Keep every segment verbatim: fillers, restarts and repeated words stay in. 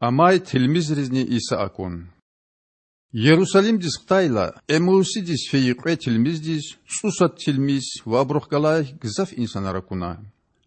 Амай тилмизризни Иса акун. Ярусалимдиз хтайла, Эммаусдиз фейи кьве тилмиздиз цІусад тилмиз ва абурухъ галай гзаф инсанар акуна.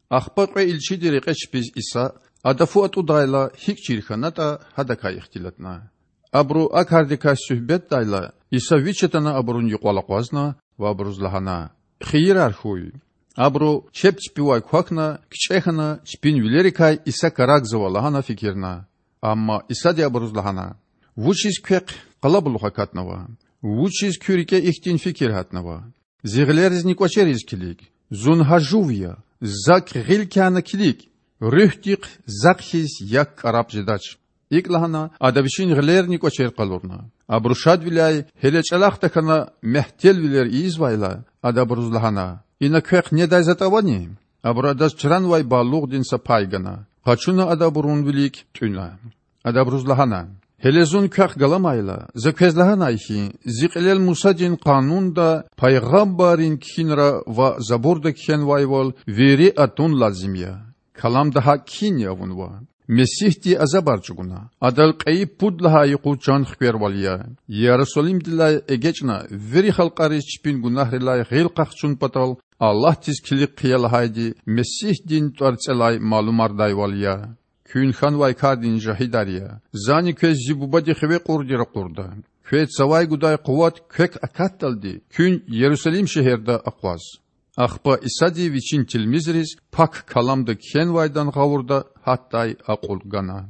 Ахпа кьве илчиди рекье чпиз Иса, Ада фу атІудайла, гьикІ чир хьанатІа, гьадакай ихтилатна. Абуру а кардикай суьгьбетдайла, Иса Вич атана абурун юкьвал акъвазна ва абуруз лагьана: Хийирар хьуй. Абуру, чеб чпивай квахьна, кичІе хьана, чпин вилерикай Иса карагзава лагьана фикирна. Амма Исади абуруз лагьана: Вучиз квехъ къалабулух акатнава? Вучиз куь рикІе ихьтин фикир гьатнава? Зи гъилеризни кІвачериз килиг. Зун гьа Жув я. Зак гъил кяна килиг. Руьгьдихъ Захъ хьиз як кІараб жедач. ИкІ лагьана, Ада Вичин гъилерни кІвачер къалурна. Абуру шадвиляй, гьеле чІалахъ тахьана мягьтелвилер ийизвайла, Ада абуруз лагьана: Ина квехъ недай затІ авани? Абуру Адаз чранвай балугъдин са пай гана. Къачуна Ада абурун вилик тІуьна. Ада абуруз лагьана: Гьеле Зун квехъ галамайла, За квез лагьанай хьи, Зи кьилел Мусадин Къанунда, пайгъамбаррин кхьинра ва Забурда кхьенвайвал вири атун лазим я. Каламда гьакІ кхьинни авунва. Месигьди азабар чІугуна, Адал кьейи пуд лагьай юкъуз чан хквервал ая, Ярусалимдилай эгечІна вири халкьариз чпин гунагьрилай гъил къахчун патал Аллагьдиз килиг хъия лагьайди Месигьдин тІварцІелай малумардайвал ая. Куьн хьанвай кардин жагьидар я. Зани квез Зи Бубади хиве кьурди ракъурда. Квез цавай гудай къуват квек акатдалди куьн Ярусалим шегьерда акъваз. Ахпа Исади Вичин тилмизриз Пак Каламда кхьенвайдан гъавурда гьатдай акьул гана.